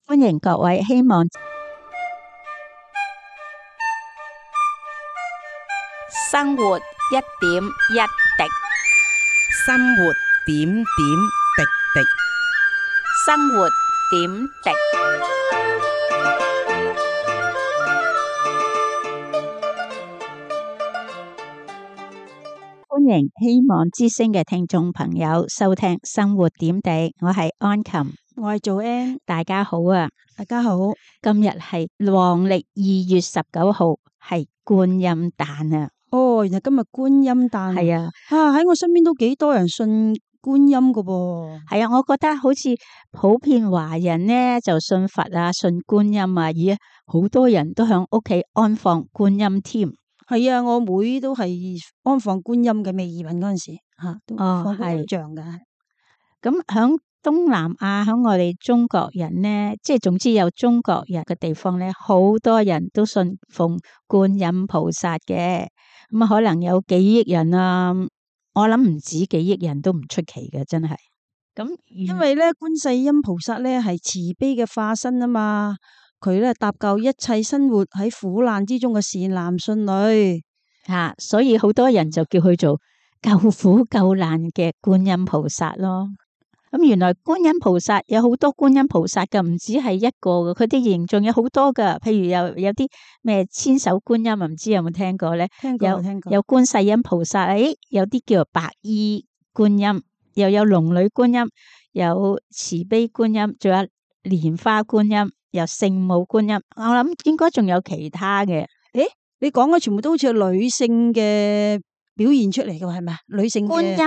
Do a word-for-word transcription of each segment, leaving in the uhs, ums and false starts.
歡迎各位，希望生活一點一滴，生活點點滴滴，生活點滴。歡迎希望之聲嘅聽眾朋友收聽生活點滴，我係安琴，我係做 N， 大家好啊！大家好。今日係農曆二月十九號，係觀音誕啊！哦，原來今日觀音誕係啊，啊喺我身邊都幾多人信觀音噶噃。係啊，我覺得好似普遍華人呢就信佛啊，信觀音啊，而好多人都響屋企安放觀音添。係啊，我妹都係安放觀音嘅，未移民嗰陣時吓，都放觀音像嘅。咁響東南亞，響我哋中國人呢，即係總之有中國人嘅地方呢，好多人都信奉觀音菩薩嘅。咁啊，可能有幾億人啊，我諗唔止幾億人都唔出奇嘅，真係。咁因為咧，觀世音菩薩咧係慈悲嘅化身啊嘛，佢咧搭救一切生活喺苦難之中嘅善男信女啊，所以好多人就叫佢做救苦救難嘅觀音菩薩咯。咁原來觀音菩薩有好多觀音菩薩噶，唔止係一個嘅，佢啲形象有好多噶。譬如有有啲咩千手觀音，唔知有冇聽過咧？聽過，有聽過。有觀世音菩薩，誒，有啲叫做白衣觀音，又有龍女觀音，有慈悲觀音，仲有蓮花觀音，有聖母觀音。我諗應該仲有其他嘅。誒，你講嘅全部都好似女性嘅表現出嚟嘅係咪啊？女性觀音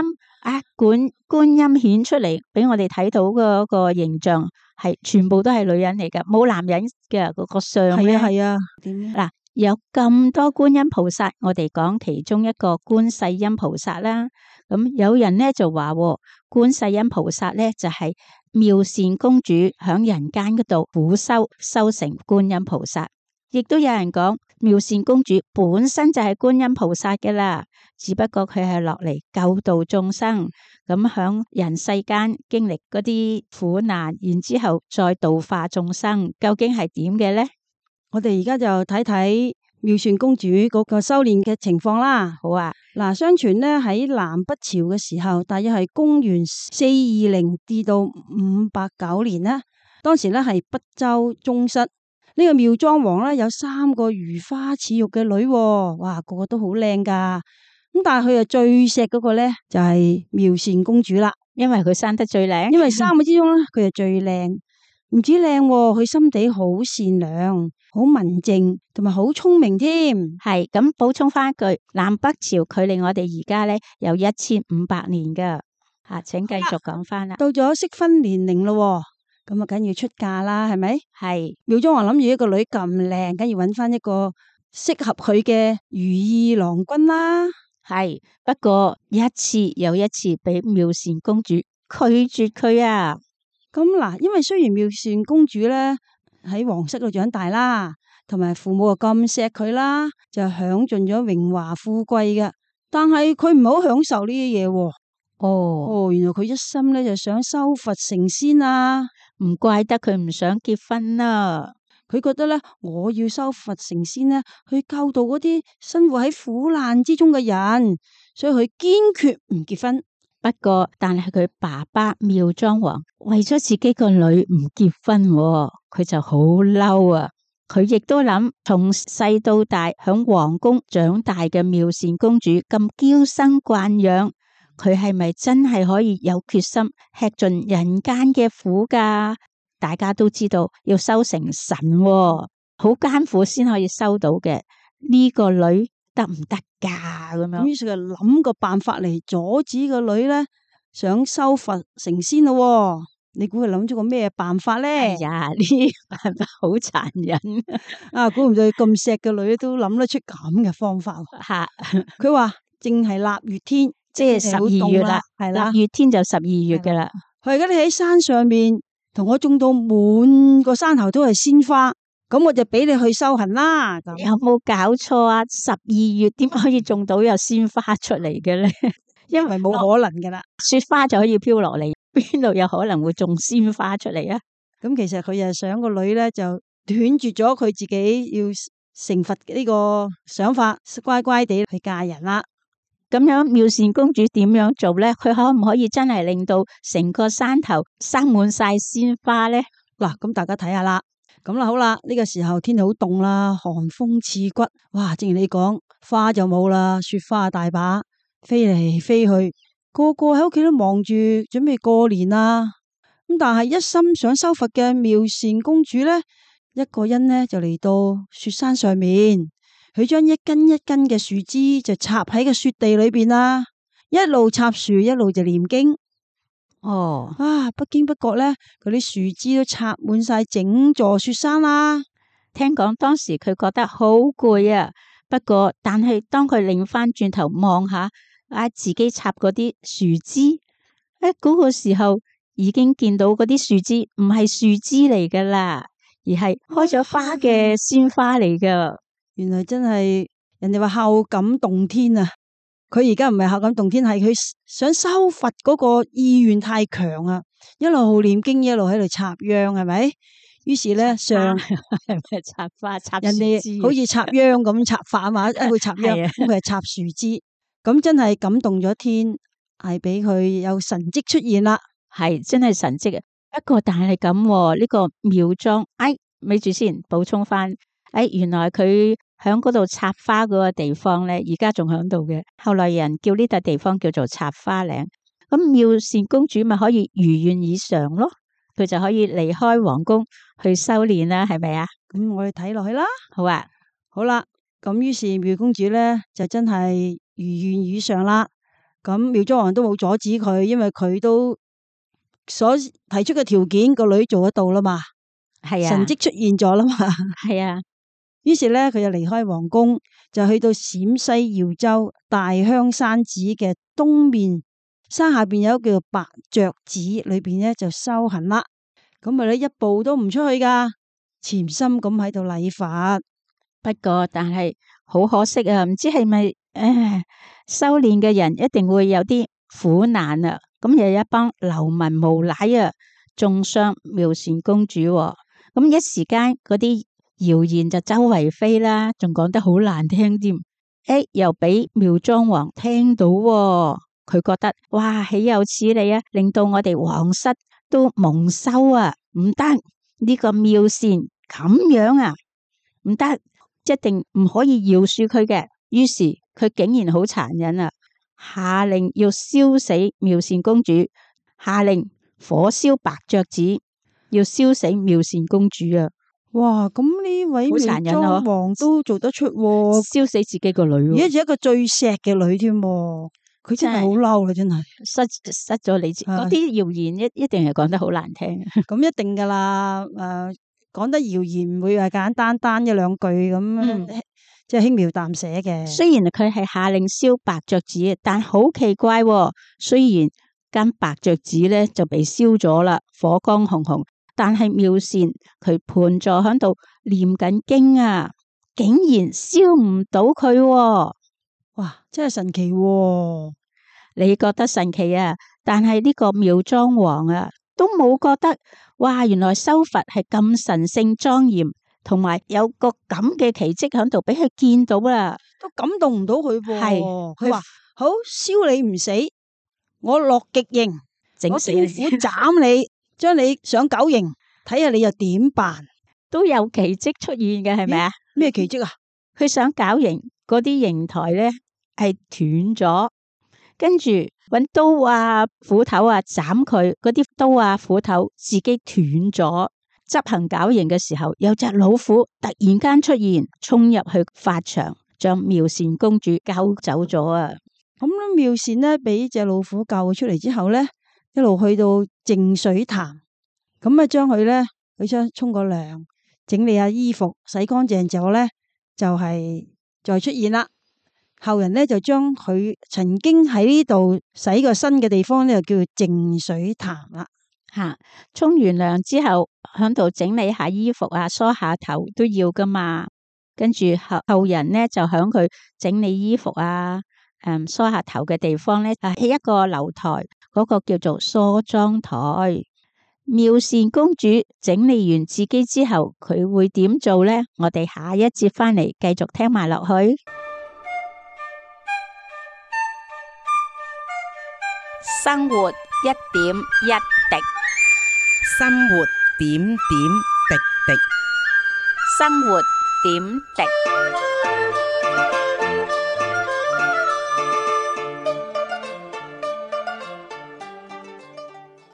啊，觀觀音顯出嚟俾我哋睇到嗰個形象係全部都係女人嚟㗎，冇男人嘅嗰個相咧。係啊係啊，點嗱，有咁多觀音菩薩，我哋講其中一個觀世音菩薩啦。咁有人咧就話，觀世音菩薩咧就係妙善公主響人間嗰度苦修修成觀音菩薩。亦都有人講妙善公主本身就係觀音菩薩嘅啦，只不過佢係落嚟救度眾生，咁響人世間經歷嗰啲苦難，然之後再度化眾生，究竟係點嘅呢？我哋而家就睇睇妙善公主嗰個修煉嘅情況啦。好啊，嗱，相傳呢喺南北朝嘅時候，大約係公元四二零至到五百九年啦。當時呢係北周宗室。呢個妙莊王咧有三個如花似玉嘅女，哇，個個都好靚噶。咁但係佢啊最錫嗰個咧就係妙善公主啦，因為佢生得最靚。因為三個之中咧佢係最靚，唔止靚，佢心地好善良、好文靜，同埋好聰明添。係咁補充翻一句，南北朝距離我哋而家咧有一千五百年噶。吓，請繼續講翻啦。到咗適婚年齡咯。咁啊，梗要出嫁啦，係咪？係妙莊王諗住一個女咁靚，梗要揾翻一個適合佢嘅如意郎君啦。係，不過一次又一次俾妙善公主拒絕佢啊。咁嗱，因為雖然妙善公主咧喺皇室度長大啦，同埋父母啊咁錫佢啦，就享盡咗榮華富貴嘅，但係佢唔係好享受呢啲嘢。哦哦，原來佢一心咧就想修佛成仙啊！唔怪得佢唔想結婚啦。佢覺得咧，我要修佛成仙咧，去救度嗰啲生活喺苦難之中嘅人，所以佢堅決唔結婚。不過，但係佢爸爸妙莊王為咗自己個女唔結婚，佢就好嬲啊！佢亦都諗，從細到大響皇宮長大嘅妙善公主咁嬌生慣養。佢係咪真係可以有決心吃盡人間嘅苦噶？大家都知道要修成神，好艱苦先可以修到嘅。呢個女得唔得噶？咁樣，於是就諗個辦法嚟阻止個女咧，想修佛成仙咯。你估佢諗咗個咩辦法咧？哎呀，呢辦法好殘忍啊！估唔到佢咁錫嘅女都諗得出咁嘅方法。吓，佢話淨係臘月天。即係十二月啦，係啦，月天就十二月噶啦。佢而家你喺山上面同我種到滿個山頭都係鮮花，咁我就俾你去修行啦。有冇搞錯啊？十二月點可以種到有鮮花出嚟嘅咧？因為冇可能噶啦，雪花就可以飄落嚟，邊度有可能會種鮮花出嚟啊？咁其實佢又想個女咧就斷絕咗佢自己要成佛呢個想法，乖乖地去嫁人啦。咁樣妙善公主點樣做咧？佢可唔可以真係令到成個山頭生滿晒鮮花咧？嗱，咁大家睇下啦。咁啦，好啦，呢個時候天氣好凍啦，寒風刺骨。哇，正如你講，花就冇啦，雪花大把，飛嚟飛去，個個喺屋企都忙住準備過年啦。咁但係一心想修佛嘅妙善公主咧，一個人呢就嚟到雪山上面，佢將一根一根嘅樹枝就插喺個雪地裏邊啦，一路插樹一路就念經。哦，啊，不經不覺咧，嗰啲樹枝都插滿晒整座雪山啦。聽講當時佢覺得好攰啊，不過但係當佢擰翻轉頭望下啊自己插嗰啲樹枝，誒、哎、嗰、嗰個時候已經見到嗰啲樹枝唔係樹枝嚟噶啦，而係開咗花嘅鮮花嚟噶。原來真係人哋話孝感動天啊！佢而家唔係孝感動天，係佢想修佛嗰個意願太強啊！一路念經，一路喺度插秧，係咪？於是咧，上係咪插花插人哋好似插秧咁插法啊嘛，一去插秧，咁佢係插樹枝，咁真係感動咗天，係俾佢有神蹟出現啦。係真係神蹟啊！不過但係咁呢個妙莊，哎，咪住先補充翻，哎，原來佢喺嗰度插花嗰個地方咧，而家仲喺度嘅。後來人叫呢笪地方叫做插花嶺。咁妙善公主咪可以如願以償咯，佢就可以離開皇宮去修煉啦，係咪啊？咁我哋睇落去啦。好啊，好啦，咁於是妙公主咧就真係如願以償啦。咁妙莊王都冇阻止佢，因為佢都所提出嘅條件個女做得到啦嘛。係啊，神蹟出現咗啦嘛。係啊。於是咧，佢就離開皇宮，就去到陝西耀州大香山寺嘅東面山下邊有一個叫做白雀寺，裏邊咧就修行啦。咁咪咧一步都唔出去噶，潛心咁喺度禮佛。不過但係好可惜啊，唔知係咪誒修煉嘅人一定會有啲苦難啊。咁有一幫流民無賴啊，中傷妙善公主，啊。咁一時間嗰啲謠言就周圍飛啦，仲講得好難聽添。誒，又俾妙莊王聽到，啊，佢覺得哇，豈有此理啊！令到我哋皇室都蒙羞啊！唔得，呢個妙善咁樣啊，唔得，一定唔可以饒恕佢嘅。於是佢竟然好殘忍啊，下令要燒死妙善公主，下令火燒白雀寺，要燒死妙善公主啊！哇！咁呢位妙莊王都做得出，燒死自己個女，而家係一個最錫嘅女添，佢真係好嬲啦！真係失失咗理智，嗰啲謠言一一定係講得好難聽。咁一定噶啦，誒、呃，講得謠言唔會係簡單單一兩句咁，嗯、即係輕描淡寫嘅。雖然佢係下令燒白雀寺，但好奇怪，哦，雖然間白雀寺咧就被燒咗啦，火光紅紅。但係妙善佢盤坐喺度念緊經啊，竟然燒唔到佢，啊，哇！真係神奇，啊，你覺得神奇啊？但係呢個妙莊王啊，都冇覺得，哇！原來修佛係咁神聖莊嚴，同埋有個咁嘅奇蹟喺度俾佢見到啦，都感動唔到佢。係佢話好燒你唔死，我落極刑，整死你，我虎斬你。將你上九刑，睇下你又點辦？都有奇蹟出現嘅，係咪啊？咩奇蹟啊？佢想絞刑嗰啲刑台咧係斷咗，跟住搵刀啊斧頭啊斬佢，嗰啲刀啊斧頭自己斷咗。執行絞刑嘅時候，有隻老虎突然間出現，衝入去法場，將妙善公主救走咗啊！咁咧，妙善呢，俾隻老虎救出嚟之後咧，一路去到淨水潭，咁啊將佢咧，佢將沖個涼，整理下衣服，洗乾淨之後咧，就係、是、再出現啦。後人咧就將佢曾經喺呢度洗過身嘅地方咧，就叫做淨水潭啦。吓，沖完涼之後，響度整理下衣服啊，梳下頭都要噶嘛。跟住後後人咧就響佢整理衣服啊，誒梳下頭嘅地方咧，啊起一個樓台。嗰個叫做梳妝台，妙善公主整理完自己之後，佢會點做呢？我哋下一節返嚟繼續聽埋落去。生活一點一滴，生活點點滴滴。生活點滴。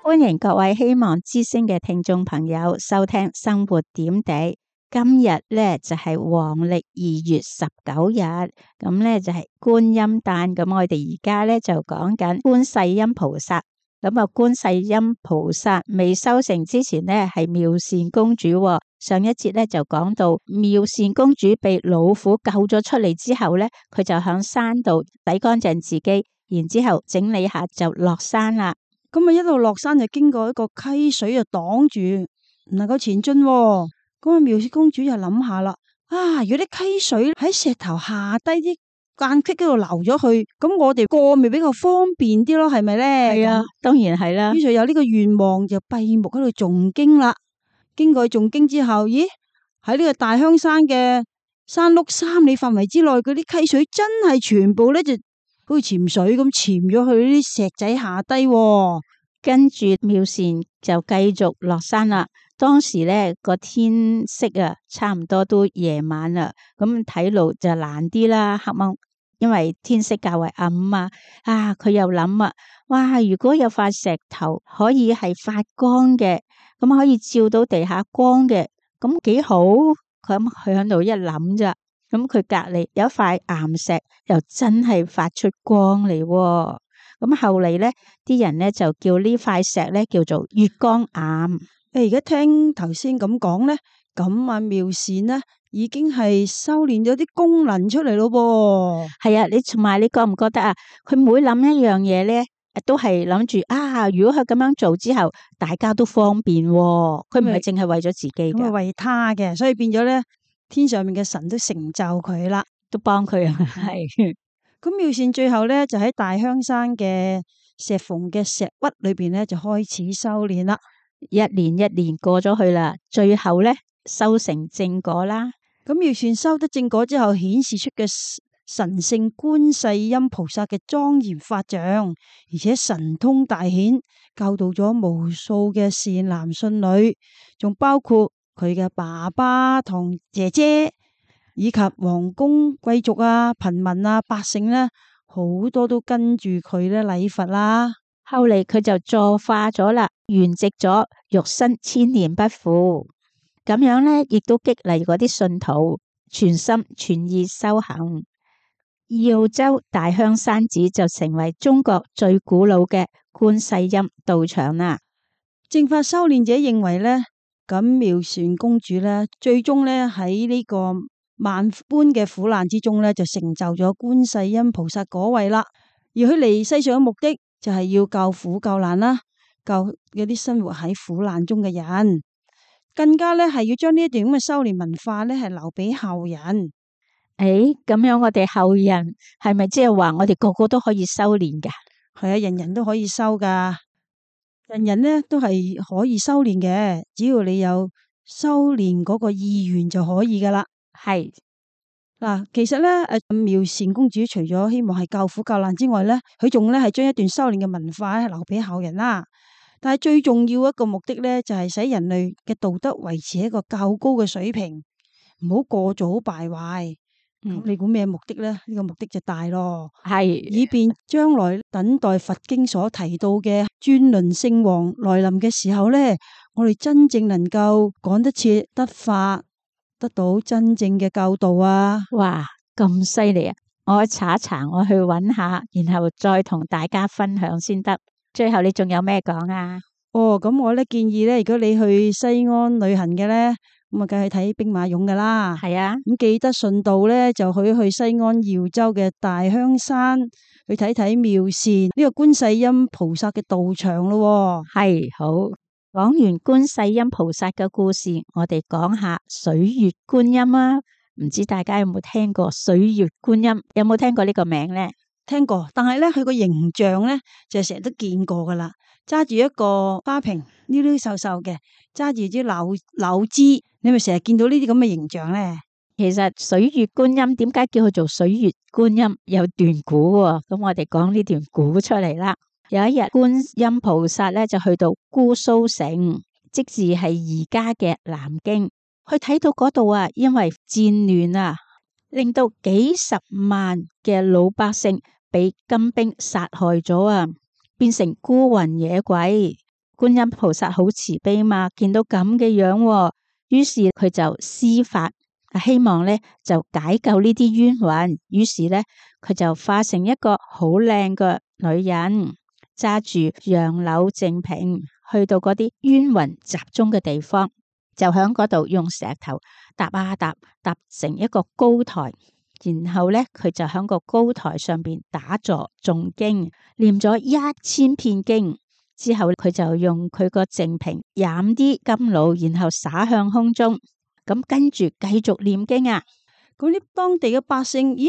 歡迎各位希望之聲嘅聽眾朋友收聽生活點滴。今日咧就係黃曆二月十九日，咁咧就係觀音誕。咁我哋而家咧就講緊觀世音菩薩。咁啊，觀世音菩薩未修成之前咧係妙善公主。上一節咧就講到妙善公主被老虎救咗出嚟之後咧，佢就響山度洗乾淨自己，然之後整理下就落山啦。咁啊，一路落山就經過一個溪水就擋住，唔能夠前進。咁啊，妙善公主就諗下啦，啊，如果啲溪水喺石頭下低啲間隙嗰度流咗去，咁我哋過咪比較方便啲咯，係咪咧？係啊，當然係啦。於是有呢個願望，就閉目喺度誦經啦。經過誦經之後，咦，喺呢個大香山嘅山麓三里範圍之內，嗰啲溪水真係全部咧就好似潛水咁潛咗去呢啲石仔下低。跟住妙善就繼續落山啦。當時咧個天色啊，差唔多都夜晚啦，咁睇路就難啲啦，黑掹，因為天色較為暗啊。啊，佢又諗啊，哇！如果有塊石頭可以係發光嘅，咁可以照到地下光嘅，咁幾好。咁佢喺度一諗咋，咁佢隔籬有一塊岩石，又真係發出光嚟。咁後嚟咧，啲人咧就叫呢塊石咧叫做月光岩。誒，而家聽頭先咁講咧，咁啊妙善呢已經係修煉咗啲功能出嚟咯噃。係啊，你同埋你覺唔覺得啊？佢每諗一樣嘢咧，都係諗住啊，如果佢咁樣做之後，大家都方便。佢唔係淨係為咗自己嘅，咁係為他嘅，所以變咗咧，天上面嘅神都成就佢啦，都幫佢啊。係。咁妙善最後咧就喺大香山嘅石縫嘅石窟裏邊咧就開始修煉啦。一年一年過咗去啦，最後咧修成正果啦。咁妙善修得正果之後，顯示出嘅神聖觀世音菩薩嘅莊嚴法像，而且神通大顯，教導咗無數嘅善男信女，仲包括佢嘅爸爸同姐姐，以及皇宮貴族啊、貧民啊、百姓咧，好多都跟住佢咧禮佛啦。後嚟佢就坐化咗啦，圓寂咗，肉身千年不腐。咁樣咧，亦都激勵嗰啲信徒全心全意修行。耀州大香山寺就成為中國最古老嘅觀世音道場啦。正法修煉者認為咧，咁妙善公主咧，最終咧喺呢個萬般嘅苦難之中咧，就成就咗觀世音菩薩果位啦。而佢嚟世上嘅目的，就係要救苦救難啦，救嗰啲生活喺苦難中嘅人，更加咧係要將呢一段咁嘅修煉文化咧係留俾後人。誒，咁樣我哋後人係咪即係話我哋個個都可以修煉噶？係啊，人人都可以修噶，人人咧都係可以修煉嘅，只要你有修煉嗰個意願就可以噶啦。係。嗱，其實咧，誒，妙善公主除咗希望係救苦救難之外咧，佢仲咧係將一段修煉嘅文化留俾後人啦。但係最重要一個目的咧，就係使人類嘅道德維持一個較高嘅水平，唔好過早敗壞。咁、嗯、你估咩目的咧？呢、這個目的就大咯，係以便將來等待佛經所提到嘅轉輪聖王來臨嘅時候咧，我哋真正能夠趕得切得法。得到真正嘅教導啊！哇，咁犀利啊！我查一查，我去揾下，然後再同大家分享先得。最後你仲有咩講啊？哦，咁我咧建議咧，如果你去西安旅行嘅咧，咁啊，梗係睇兵馬俑噶啦。係啊，咁記得順道咧，就去去西安耀州嘅大香山去睇睇妙善呢個觀世音菩薩嘅道場咯。係，好。講完觀世音菩薩嘅故事，我哋講下水月觀音啊！唔知大家有冇聽過水月觀音？有冇聽過呢個名咧？聽過，但係咧佢個形象咧就成日都見過噶啦。揸住一個花瓶，溜溜瘦瘦嘅，揸住支柳柳枝，你咪成日見到呢啲咁嘅形象咧？其實水月觀音點解叫佢做水月觀音？有段古喎，咁我哋講呢段古出嚟啦。有一日，觀音菩薩咧就去到姑蘇城，即是係而家嘅南京，去睇到嗰度啊，因為戰亂啊，令到幾十萬嘅老百姓俾金兵殺害咗啊，變成孤魂野鬼。觀音菩薩好慈悲嘛，見到咁嘅樣啊，於是佢就施法。希望咧就解救呢啲冤魂，於是咧佢就化成一個好靚嘅女人，揸住楊柳淨瓶，去到嗰啲冤魂集中嘅地方，就喺嗰度用石頭搭啊搭，搭成一個高台，然後咧佢就喺個高台上邊打坐誦經，念咗一千遍經之後，佢就用佢個淨瓶飲啲甘露，然後灑向空中。咁跟住繼續念經啊！嗰啲當地嘅百姓，咦？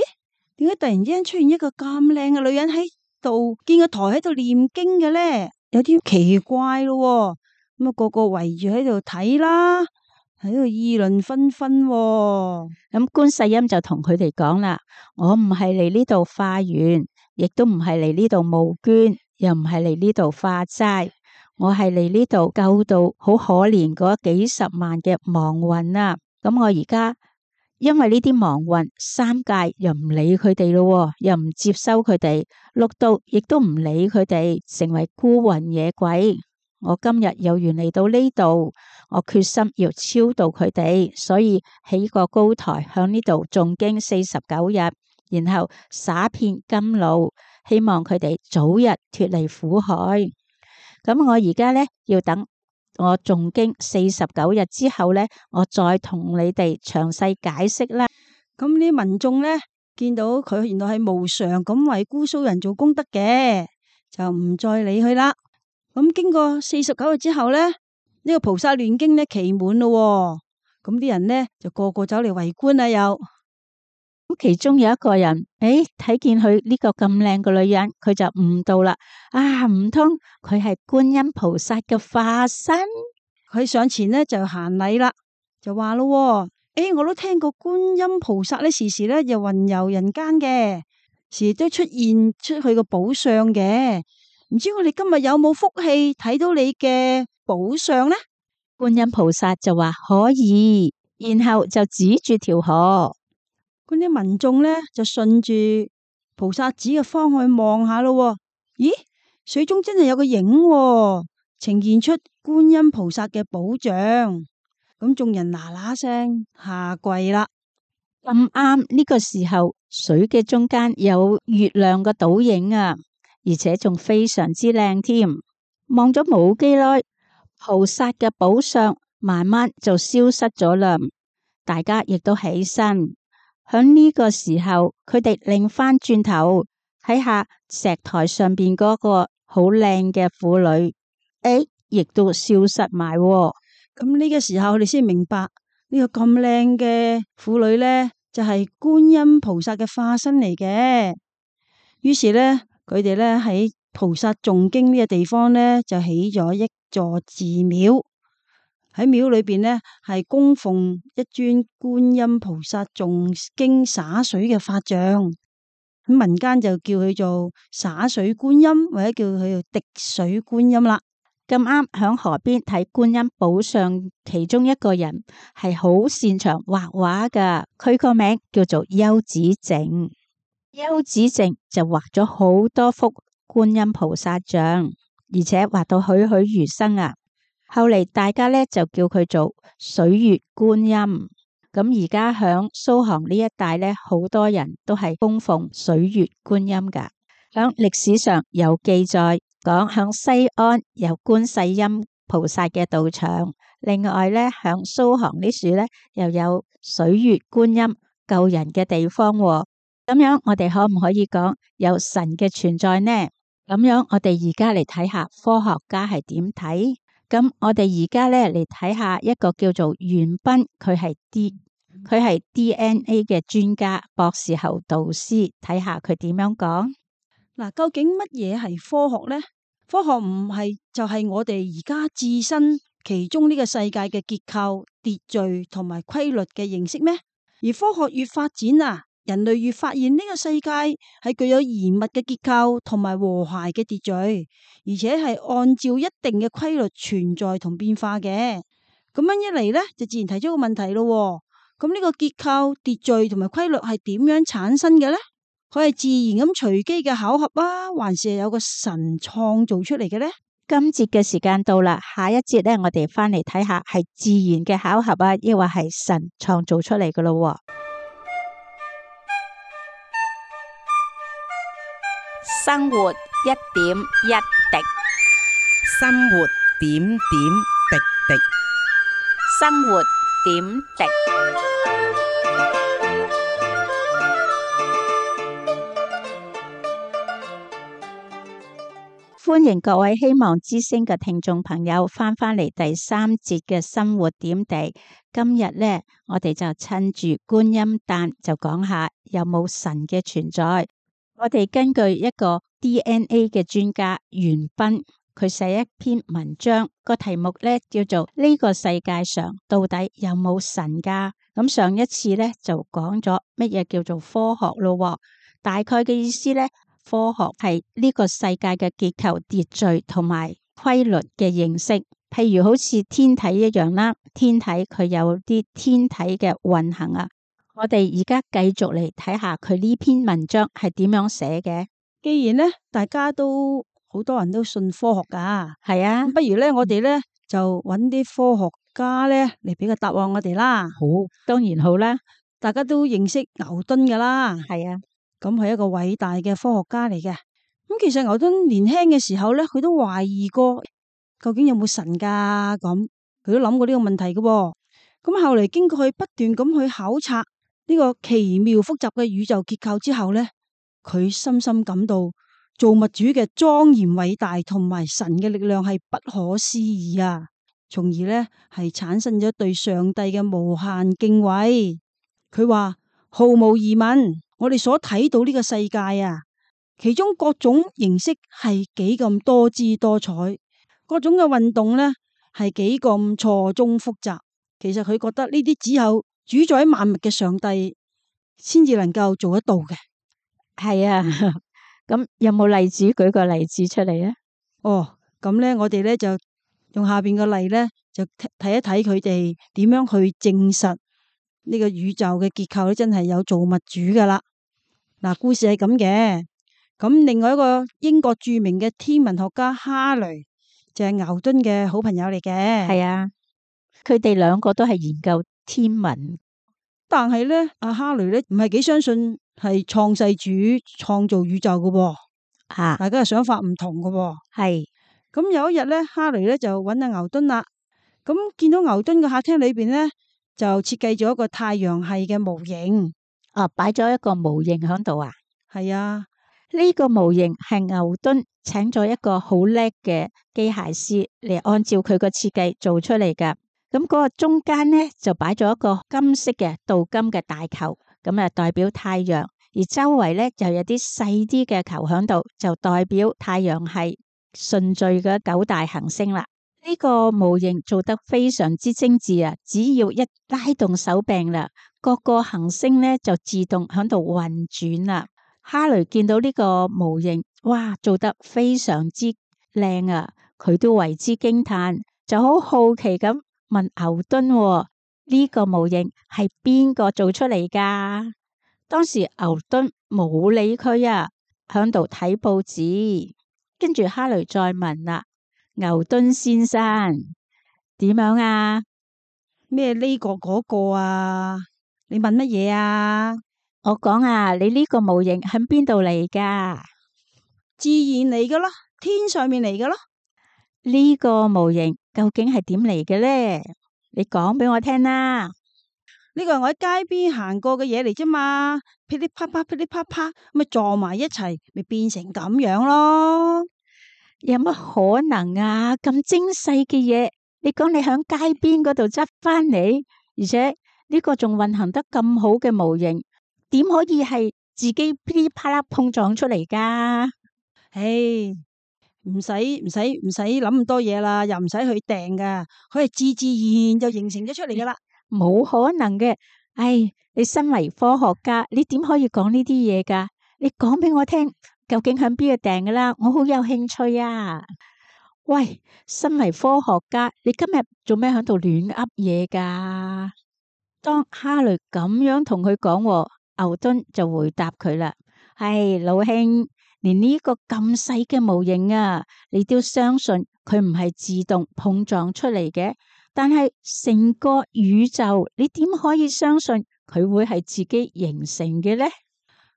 點解突然之間出現一個咁靚嘅女人喺度，見個台喺度念經嘅咧？有啲奇怪咯。咁啊，個個圍住喺度睇啦，喺度議論紛紛。咁觀世音就同佢哋講啦：我唔係嚟呢度化緣，亦都唔係嚟呢度募捐，又唔係嚟呢度化齋。我係嚟呢度救到好可憐嗰幾十萬嘅亡魂啊！咁我而家因為呢啲亡魂，三界又唔理佢哋咯，又唔接收佢哋，六道亦都唔理佢哋，成為孤魂野鬼。我今日有緣嚟到呢度，我決心要超度佢哋，所以起個高台響呢度誦經四十九日，然後灑遍甘露，希望佢哋早日脫離苦海。咁我而家咧要等我誦經四十九日之後咧，我再同你哋詳細解釋啦。咁啲民眾咧見到佢原來係無償咁為姑蘇人做功德嘅，就唔再理佢啦。咁經過四十九日之後咧，呢、這個菩薩亂經咧期滿咯，咁啲人咧就個個走嚟圍觀啦又。咁其中有一個人，誒，睇見佢呢個咁靚嘅女人，佢就悟到啦。啊，唔通佢係觀音菩薩嘅化身？佢上前咧就行禮啦，就話咯，誒，我都聽過觀音菩薩咧時時咧又雲遊人間嘅，時時都出現出去個寶相嘅。唔知我哋今日有冇福氣睇到你嘅寶相呢？觀音菩薩就話可以，然後就指住條河。嗰啲民眾咧就順住菩薩指嘅方向望下咯，咦，水中真係有個影，呈現出觀音菩薩嘅寶像。咁眾人嗱嗱聲下跪啦。咁啱呢個時候，水嘅中間有月亮嘅倒影啊，而且仲非常之靚添。望咗冇幾耐，菩薩嘅寶相慢慢就消失咗啦。大家亦都起身。響呢個時候，佢哋擰翻轉頭睇下石台上邊嗰個好靚嘅婦女，誒，亦都消失埋。咁呢個時候，我哋先明白呢個咁靚嘅婦女呢，就係觀音菩薩嘅化身嚟嘅。於是呢，佢哋呢喺菩薩誦經呢個地方呢，就起咗一座寺廟。喺廟裏邊呢，係供奉一尊觀音菩薩誦經灑水嘅法像，咁民間就叫佢做灑水觀音，或者叫佢做滴水觀音啦。咁啱響河邊睇觀音寶相，其中一個人係好擅長畫畫噶，佢個名叫做邱子靜。邱子靜就畫咗好多幅觀音菩薩像，而且畫到栩栩如生啊！後嚟大家咧就叫佢做水月觀音。咁而家響蘇杭呢一帶咧，好多人都係供奉水月觀音噶。響歷史上有記載講，響西安有觀世音菩薩嘅道場。另外咧，響蘇杭呢處咧又有水月觀音救人嘅地方。咁樣我哋可唔可以講有神嘅存在呢？咁樣我哋而家嚟睇下科學家係點睇。咁我哋而家咧嚟睇下一個叫做袁彬，佢係 D， 佢係 D N A 嘅專家，博士後導師，睇下佢點樣講。嗱，究竟乜嘢係科學呢？科學唔係就係我哋而家置身其中呢個世界嘅結構、秩序同埋規律嘅認識咩？而科學越發展啊，人類越發現呢個世界係具有嚴密嘅結構同埋和諧嘅秩序，而且係按照一定嘅規律存在同變化嘅。咁樣一嚟呢，就自然提出個問題咯。咁呢個結構、秩序同埋規律係點樣產生嘅呢？佢係自然咁隨機嘅巧合啊，還是係有個神創造出嚟嘅呢？今節嘅時間到啦，下一節咧，我哋翻嚟睇下係自然嘅巧合啊，抑或係神創造出嚟嘅咯。生活一點一滴，生活點點滴滴。生活點滴。歡迎各位希望之聲嘅聽眾朋友翻返嚟第三節嘅生活點滴。今日呢，我哋就趁住觀音誕就講下有冇神嘅存在。我哋根據一個 D N A 嘅專家袁彬，佢寫一篇文章，個題目呢叫做呢個世界上到底有冇神噶？咁上一次呢，就講咗乜嘢叫做科學咯，大概嘅意思呢。科學係呢個世界嘅結構、秩序同埋規律嘅認識，譬如好似天體一樣啦。天體佢有啲天體嘅運行啊。我哋而家繼續嚟睇下佢呢篇文章係點樣寫嘅。既然呢，大家都好多人都信科學噶，係啊，不如呢，我哋呢就揾啲科學家呢嚟俾個答案我哋啦。好，當然好啦。大家都認識牛頓噶啦，係啊。咁係一個偉大嘅科學家嚟嘅。咁其實牛頓年輕嘅時候咧，佢都懷疑過究竟有冇神噶，咁佢都諗過呢個問題嘅。咁後嚟經過佢不斷咁去考察呢個奇妙複雜嘅宇宙結構之後咧，佢深深感到造物主嘅莊嚴偉大同埋神嘅力量係不可思議啊，從而咧係產生咗對上帝嘅無限敬畏。佢話毫無疑問，我哋所睇到呢個世界啊，其中各種形式係幾咁多姿多彩，各種嘅運動呢係幾咁錯綜複雜。其實佢覺得呢啲只有主宰萬物嘅上帝先至能夠做得到嘅。係啊，咁有冇例子？舉個例子出嚟啊？哦，咁呢，我哋呢就用下邊個例呢，就睇一睇佢哋點樣去證實呢個宇宙嘅結構咧，真係有造物主噶啦。嗱，故事係咁嘅。咁另外一個英國著名嘅天文學家哈雷就係牛頓嘅好朋友嚟嘅。係啊，佢哋兩個都係研究天文，但係咧，阿哈雷咧唔係幾相信係創世主創造宇宙嘅喎。啊，大家嘅想法唔同嘅喎。係。咁有一日咧，哈雷咧就揾阿牛頓啦。咁見到牛頓嘅客廳裏邊咧，就設計咗一個太陽系嘅模型。哦，擺咗一個模型喺度啊。係啊，呢個模型係牛頓請咗一個好叻嘅機械師嚟按照佢個設計做出嚟噶。咁嗰個中間呢，就擺咗一個金色嘅鍍金嘅大球，咁啊代表太陽，而周圍呢，就有啲細啲嘅球喺度，就代表太陽系順序嘅九大行星啦。呢個模型做得非常之精緻啊！只要一拉動手柄啦，各個行星呢就自動喺度運轉啦。哈雷見到呢個模型，哇，做得非常之靚啊！佢都為之驚嘆，就好好奇咁問牛頓：呢個模型係邊個做出嚟噶？當時牛頓冇理佢啊，喺度睇報紙。跟住哈雷再問啦。牛頓先生點樣啊？咩呢個嗰個啊？你問乜嘢啊？我講啊，你呢個模型喺邊度嚟噶？自然嚟噶啦，天上面嚟噶啦。呢個模型究竟係點嚟嘅呢？你講俾我聽啦。呢個係我喺街邊行過嘅嘢嚟啫嘛，噼里啪啪噼里啪啪，咪撞埋一齊，咪變成咁樣咯。有乜可能啊？咁精細嘅嘢，你講你響街邊嗰度執翻嚟，而且呢個仲運行得咁好嘅模型，點可以係自己噼里啪啦碰撞出嚟噶？唉，唔使唔使唔使諗咁多嘢啦，又唔使去訂噶，佢係自自然然就形成咗出嚟噶啦。冇可能嘅。唉，你身為科學家，你點可以講呢啲嘢噶？你講俾我聽，究竟響邊度訂噶啦？我好有興趣啊！喂，身為科學家，你今日做咩響度亂噏嘢噶？當哈雷咁樣同佢講，牛頓就回答佢啦：唉，老兄，連呢個咁細嘅模型啊，你都相信佢唔係自動碰撞出嚟嘅？但係成個宇宙，你點可以相信佢會係自己形成嘅呢？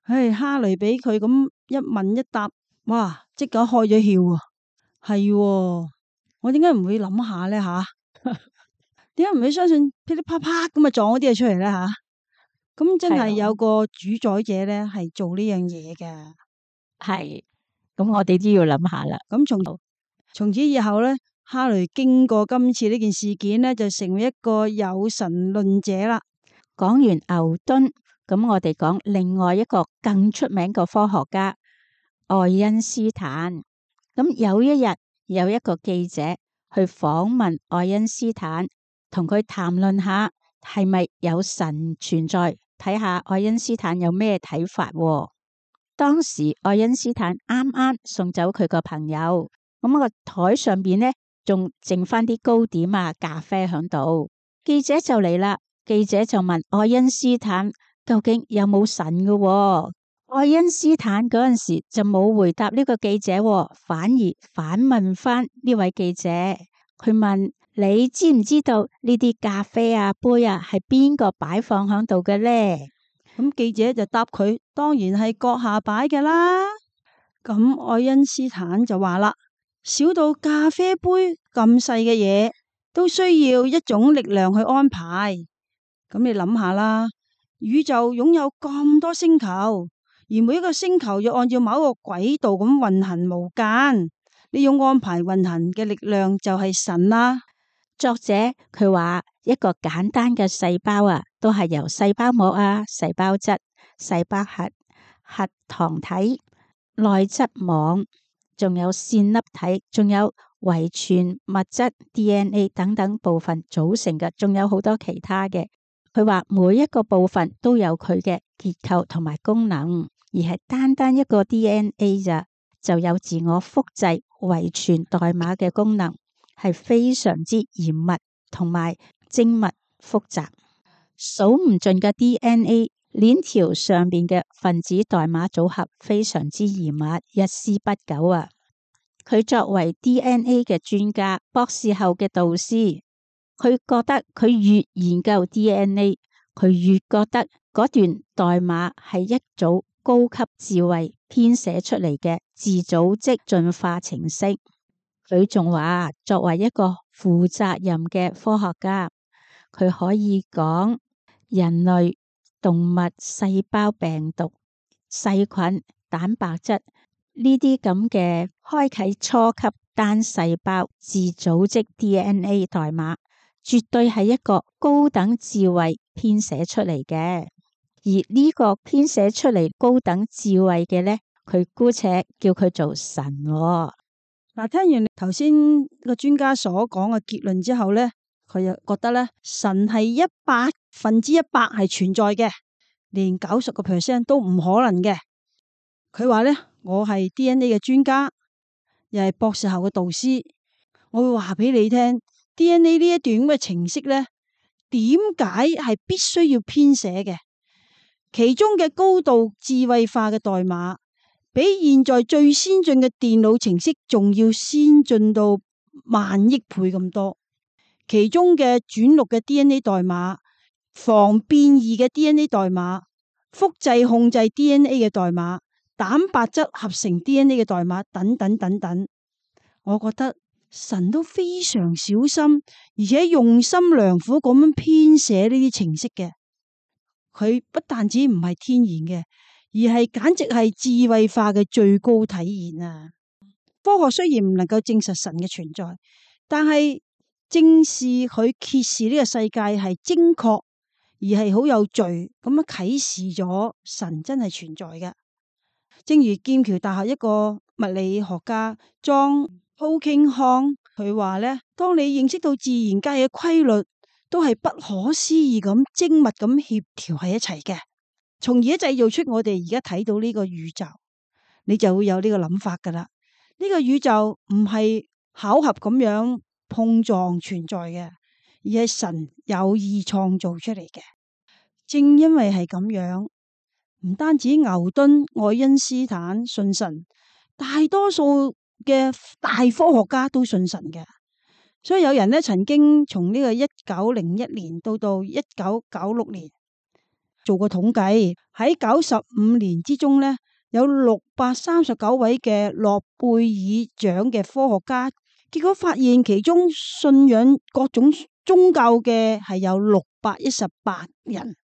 唉，哈雷俾佢咁一問一答，哇！即刻開咗竅啊！係喎，我點解唔會諗下咧吓？點解唔會相信噼里啪啪咁啊撞嗰啲嘢出嚟咧吓？咁真係有個主宰者咧，係做呢樣嘢嘅。係，咁我哋都要諗下啦。咁從從此以後咧，哈雷經過今次呢件事件咧，就成為一個有神論者啦。講完牛頓，咁我哋講另外一個更出名嘅科學家愛因斯坦。咁有一日有一個記者去訪問愛因斯坦，同佢談論下係咪有神存在，睇下愛因斯坦有咩睇法。當時愛因斯坦啱啱送走佢個朋友，咁個台上邊呢仲剩翻啲糕點啊、咖啡喺度。記者就嚟啦，記者就問愛因斯坦究竟有冇神嘅？愛因斯坦嗰陣時就冇回答呢個記者，反而反問翻呢位記者，佢問：你知唔知道呢啲咖啡啊、杯啊係邊個擺放喺度嘅呢？咁記者就答佢：當然係閣下擺嘅啦。咁愛因斯坦就話啦：小到咖啡杯咁細嘅嘢，都需要一種力量去安排。咁你諗下啦，宇宙擁有咁多星球。而每一個星球要按照某一個軌道咁運行無間，呢種安排運行嘅力量就係神啦。作者佢話一個簡單嘅細胞啊，都係由細胞膜啊、細胞質、細胞核、核糖體、內質網，仲有線粒體，仲有遺傳物質 D N A 等等部分組成嘅，仲有好多其他嘅。佢話每一個部分都有佢嘅結構同埋功能。而係單單一個 D N A 咋，就有自我複製遺傳代碼嘅功能，係非常之嚴密同埋精密複雜，數唔盡嘅 D N A 鏈條上邊嘅分子代碼組合非常之嚴密，一絲不苟啊！佢作為 D N A 嘅專家，博士後嘅導師，佢覺得佢越研究 D N A，佢越覺得嗰段代碼係一組高級智慧編寫出嚟嘅自組織進化程式。佢仲話，作為一個負責任嘅科學家，佢可以講人類、動物、細胞、病毒、細菌、蛋白質呢啲咁嘅開啟初級單細胞自組織 D N A 代碼，絕對係一個高等智慧編寫出嚟嘅。而呢個編寫出嚟高等智慧嘅呢，佢姑且叫佢做神喎。嗱，聽完頭先個專家所講嘅結論之後呢，佢又覺得呢，神係一百分之一百係存在嘅，連九十個 percent 都唔可能嘅。佢話呢，我係 D N A 嘅專家，又係博士後嘅導師，我會話俾你聽 D N A 呢一段咁嘅程式呢，點解係必須要編寫嘅？其中嘅高度智慧化嘅代碼，比現在最先進嘅電腦程式仲要先進到萬億倍咁多。其中嘅轉錄嘅 D N A 代碼、防變異嘅 D N A 代碼、複製控制 D N A 嘅代碼、蛋白質合成 D N A 嘅代碼等等等等。我覺得神都非常小心，而且用心良苦咁樣編寫呢啲程式嘅。佢不但止唔係天然嘅，而係簡直係智慧化嘅最高體現啊！科學雖然唔能夠證實神嘅存在，但係正是佢揭示呢個世界係精確而係好有序咁樣啟示咗神真係存在嘅。正如劍橋大學一個物物理學家莊浩慶康，佢話咧，當你認識到自然界嘅規律都係不可思議咁精密咁協調喺一齊嘅，從而製造出我哋而家睇到呢個宇宙，你就會有呢個諗法噶啦。呢個宇宙唔係巧合咁樣碰撞存在嘅，而係神有意創造出嚟嘅。正因為係咁樣，唔單止牛頓、愛因斯坦信神，大多數嘅大科學家都信神嘅。所以有人咧曾經從呢個一九零一年到到一九九六年做過統計，喺九十五年之中咧，有六百三十九位嘅諾貝爾獎嘅科學家，結果發現其中信仰各種宗教嘅係有六百一十八人，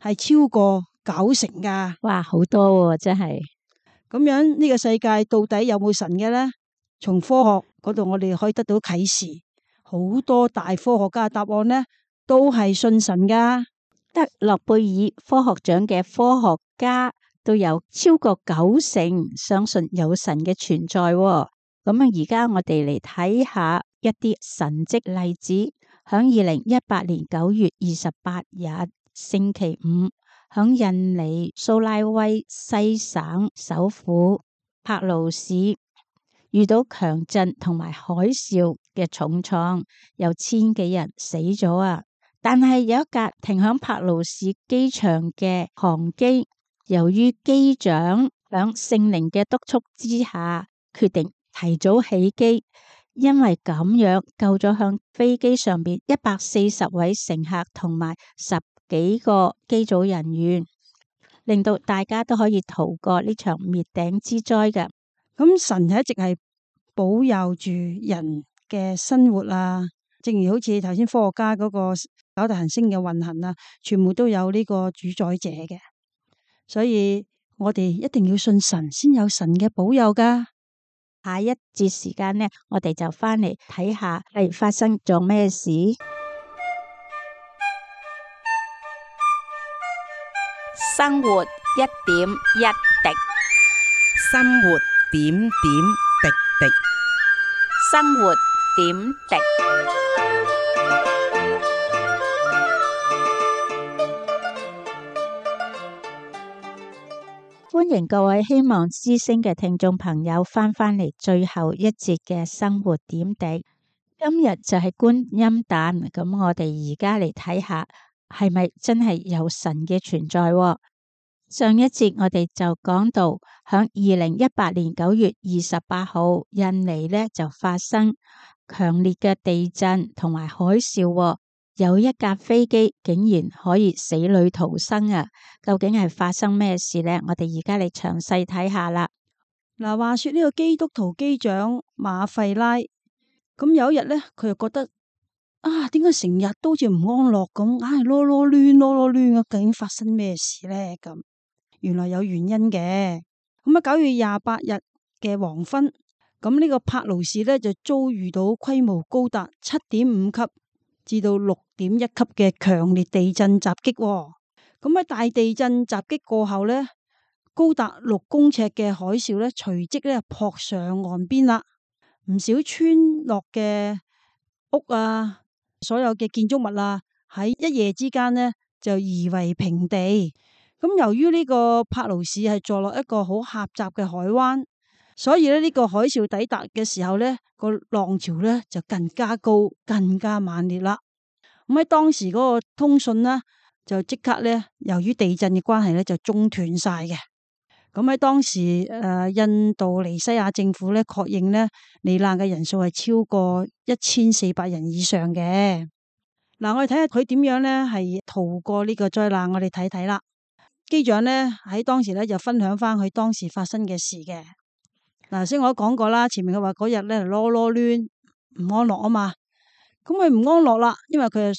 係超過九成噶。哇，好多喎，真係。咁樣呢個世界到底有冇神嘅呢？從科學嗰度我哋可以得到啟示，好多大科學家嘅答案呢都係信神噶。得諾貝爾科學獎嘅科學家都有超過九成相信有神嘅存在喎。咁啊，而家我哋嚟睇下一啲神蹟例子。響二零一八年九月二十八日星期五，響印尼蘇拉威西省首府柏勞市遇到強震同埋海嘯嘅重創，有千幾人死咗啊！但係有一架停響柏勞市機場嘅航機，由於機長響聖靈嘅督促之下，決定提早起機，因為咁樣救咗向飛機上邊一百四十位乘客同埋十幾個機組人員，令到大家都可以逃過呢場滅頂之災嘅。咁神係一直係保佑住人嘅生活啊，正如好似頭先科學家嗰個九大行星嘅運行啊，全部都有呢個主宰者嘅，所以我哋一定要信神，先有神嘅保佑噶。下一節時間呢，我哋就翻嚟睇下係發生咗咩事。生活一點一滴，生活點點滴滴，生活點滴。歡迎各位希望之聲嘅聽眾朋友翻返嚟最後一節嘅生活點滴。今日就係觀音誕，咁我哋而家嚟睇下係咪真係有神嘅存在喎？上一節我哋就講到，響二零一八年九月二十八號，印尼呢就發生強烈嘅地震同埋海嘯喎。有一架飛機竟然可以死裏逃生啊！究竟係發生咩事呢？我哋而家嚟詳細睇下啦。嗱，話說呢個基督徒機長馬費拉，咁有一日咧，佢又覺得啊，點解成日都好似唔安樂咁，硬係囉囉攣囉囉攣啊？究竟發生咩事咧？咁原來有原因嘅。咁啊，九月廿八日嘅黃昏，咁呢個柏勞市咧就遭遇到規模高達七點五級至到六點一級嘅強烈地震襲擊。咁喺大地震襲擊過後咧，高達六公尺嘅海嘯咧隨即咧撲上岸邊啦。唔少村落嘅屋啊，所有嘅建築物啊，喺一夜之間呢就夷為平地。咁由於呢個柏勞市係坐落一個好狹窄嘅海灣，所以咧呢個海嘯抵達嘅時候呢，個浪潮呢就更加高、更加猛烈啦。咁喺當時嗰個通訊呢，就即刻呢，由於地震嘅關係呢，就中斷晒嘅。咁喺當時誒、呃，印度尼西亞政府呢，確認呢，罹難嘅人數係超過一千四百人以上嘅。嗱，我哋睇下佢點樣呢，係逃過呢個災難。我哋睇睇啦。機長呢，喺當時呢，就分享翻佢當時發生嘅事嘅。嗱，先我都講過啦，前面佢話嗰日咧囉囉攣唔安樂啊嘛，咁佢唔安樂啦，因為佢係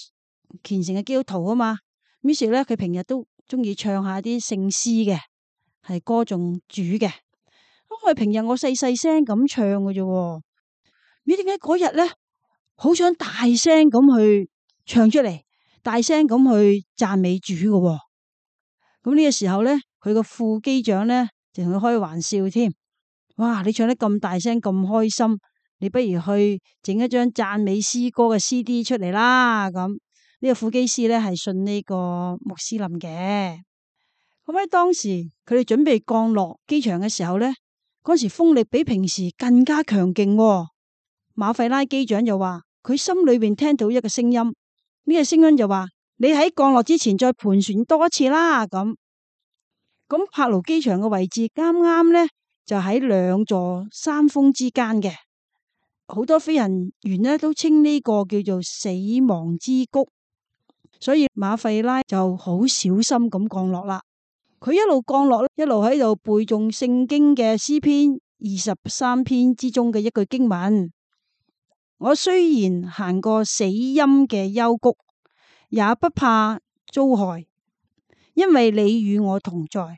虔誠嘅基督徒啊嘛，於是咧佢平日都中意唱下啲聖詩嘅，係歌頌主嘅。咁佢平日我細細聲咁唱嘅啫，咦？點解嗰日咧好想大聲咁去唱出嚟，大聲咁去讚美主嘅？咁呢個時候咧，佢個副機長咧就同佢開玩笑添。哇！你唱得咁大聲咁開心，你不如去整一張讚美詩歌嘅 C D 出嚟啦。咁呢個副機師咧係信呢個穆斯林嘅。咁喺當時佢哋準備降落機場嘅時候咧，嗰時風力比平時更加強勁喎。馬費拉機長就話佢心裏邊聽到一個聲音，呢個聲音就話你喺降落之前再盤旋多一次啦。咁咁柏勞機場嘅位置啱啱咧就喺兩座山峰之間嘅，好多飛行員咧都稱呢個叫做死亡之谷，所以馬費拉就好小心咁降落啦。佢一路降落，一路喺度背誦聖經嘅詩篇二十三篇之中嘅一句經文。我雖然行過死蔭嘅幽谷，也不怕遭害，因為你與我同在，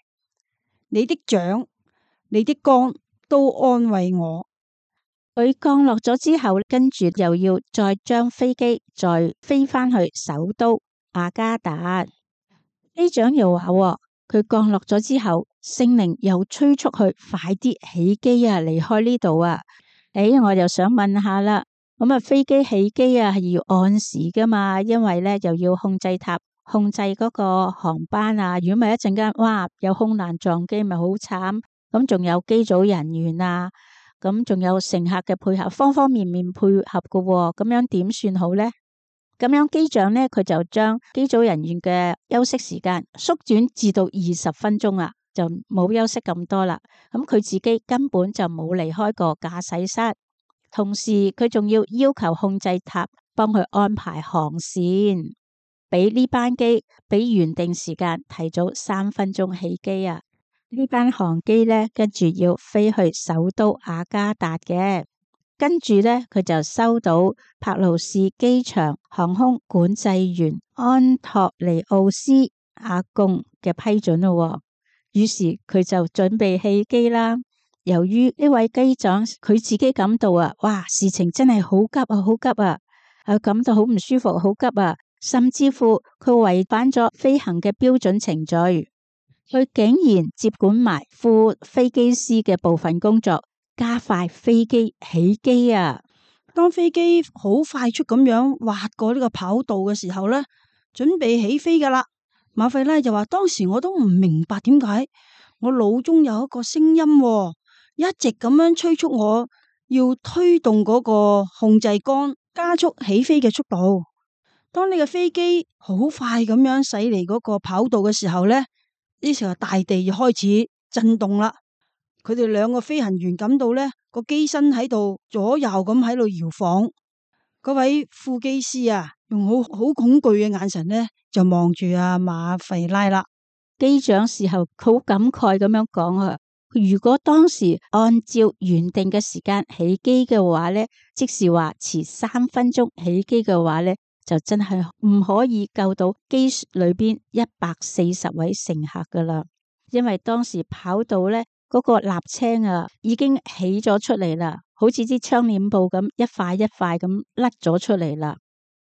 你的杖、你的竿都安慰我。佢降落咗之後，跟住又要再將飛機再飛返去首都雅加達。機長又話佢降落咗之後，聖靈又催促佢快啲起機啊，離開呢度啊。誒，我就想問下啦。咁啊，飛機起機啊，係要按時噶嘛？因為咧又要控制塔控制嗰個航班啊。如果咪一陣間，哇，有空難撞機，咪好慘。咁仲有機組人員啊，咁仲有乘客嘅配合，方方面面配合噶喎。咁樣點算好咧？咁樣機長咧，佢就將機組人員嘅休息時間縮短至到二十分鐘啊，就冇休息咁多啦。咁佢自己根本就冇離開過駕駛室。同時佢仲要要求控制塔幫佢安排航線，俾呢班機比原定時間提早三分鐘起機啊！呢班航機呢，跟住要飛去首都雅加達嘅，跟住呢，佢就收到柏勞士機場航空管制員安托尼奧斯阿貢嘅批准咯，於是佢就準備起機啦。由於呢位機長佢自己感到啊，哇，事情真係好急啊，好急啊，啊感到好唔舒服，好急啊，甚至乎佢違反咗飛行嘅標準程序，佢竟然接管埋副飛機師嘅部分工作，加快飛機起機啊！當飛機好快速咁樣滑過呢個跑道嘅時候咧，準備起飛噶啦，馬費拉就話當時我都唔明白點解我腦中有一個聲音喎，一直咁樣催促我要推動嗰個控制杆，加速起飛嘅速度。當呢個飛機好快咁樣駛離嗰個跑道嘅時候咧，呢時候大地就開始震動啦。佢哋兩個飛行員感到咧個機身喺度左右咁喺度搖晃。嗰位副機師啊，用好好恐懼嘅眼神咧就望住阿馬費拉啦。機長事後好感慨咁樣講啊。如果當時按照原定嘅時間起機嘅話咧，即是話遲三分鐘起機嘅話咧，就真係唔可以救到機裏邊一百四十位乘客噶啦。因為當時跑道咧嗰個瀝青啊已經起咗出嚟啦，好似啲窗簾布咁一塊一塊咁甩咗出嚟啦。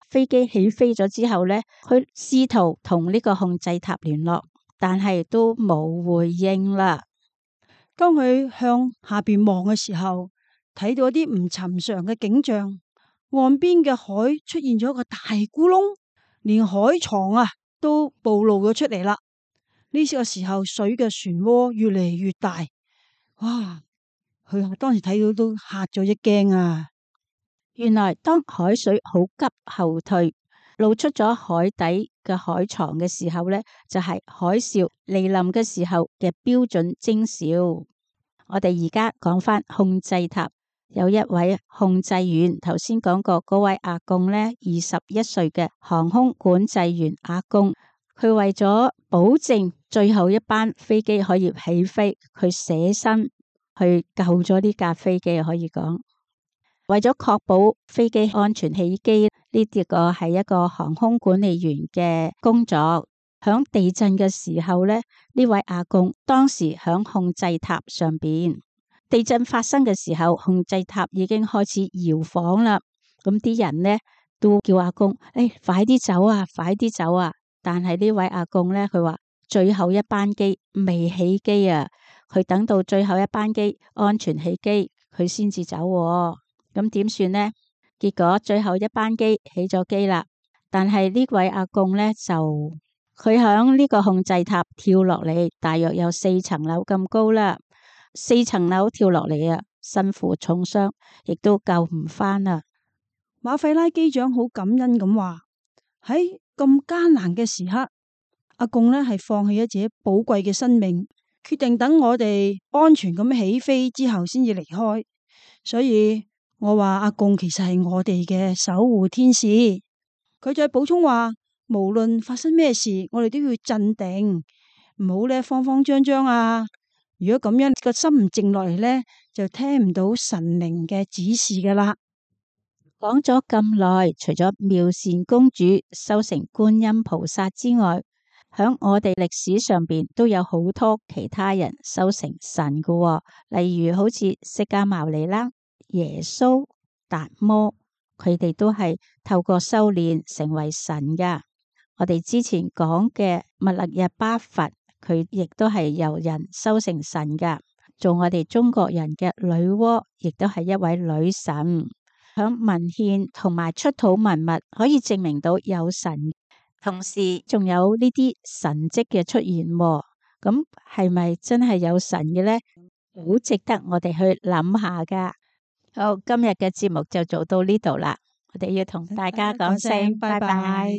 飛機起飛咗之後咧，佢試圖同呢個控制塔聯絡，但係都冇回應啦。當佢向下邊望嘅時候，睇到一啲唔尋常嘅景象，岸邊嘅海出現咗一個大咕窿，連海床啊都暴露咗出嚟啦。呢個時候水嘅漩渦越嚟越大，哇！佢當時睇到都嚇咗一驚啊！原來當海水好急後退，露出咗海底嘅海床嘅時候呢，就係海嘯嚟臨嘅時候嘅標準徵兆。我哋而家講翻控制塔，有一位控制員，頭先講過嗰位阿貢呢，二十一歲嘅航空管制員阿貢，佢為咗保證最後一班飛機可以起飛，佢捨身去救咗呢架飛機，可以講。為咗確保飛機安全起機，呢啲個係一個航空管理員嘅工作。響地震嘅時候呢，呢位阿貢當時響控制塔上邊。地震發生嘅時候，控制塔已經開始搖晃啦。咁啲人呢都叫阿貢，誒、哎，快啲走啊，快啲走啊！但係呢位阿貢呢，佢話最後一班機未起機啊，佢等到最後一班機安全起機，佢先至走喎。咁點算呢？結果最後一班機起咗機啦，但係呢位阿公呢，就佢響呢個控制塔跳落嚟，大約有四層樓咁高啦，四層樓跳落嚟啊，身負重傷，亦都救唔返啦。馬費拉機長好感恩咁話：喺咁艱難嘅時刻，阿公呢係放棄咗自己寶貴嘅生命，決定等我哋安全咁起飛之後先至離開。所以我話阿公其實係我哋嘅守護天使。佢再補充話：無論發生咩事，我哋都要鎮定，唔好咧慌慌張張啊！如果咁樣個心唔靜落嚟呢，就聽唔到神靈嘅指示噶啦。講咗咁耐，除咗妙善公主修成觀音菩薩之外，響我哋歷史上邊都有好多其他人修成神噶喎，例如好似釋迦牟尼啦、耶穌、達摩，佢哋都係透過修煉成為神噶。我哋之前講嘅密勒日巴佛，佢亦都係由人修成神噶。做我哋中國人嘅女媧，亦都係一位女神。響文獻同埋出土文物可以證明到有神，同時仲有呢啲神蹟嘅出現。咁係咪真係有神嘅呢？好值得我哋去諗下噶。好，今日嘅節目就做到呢度啦。我哋要同大家講聲拜拜。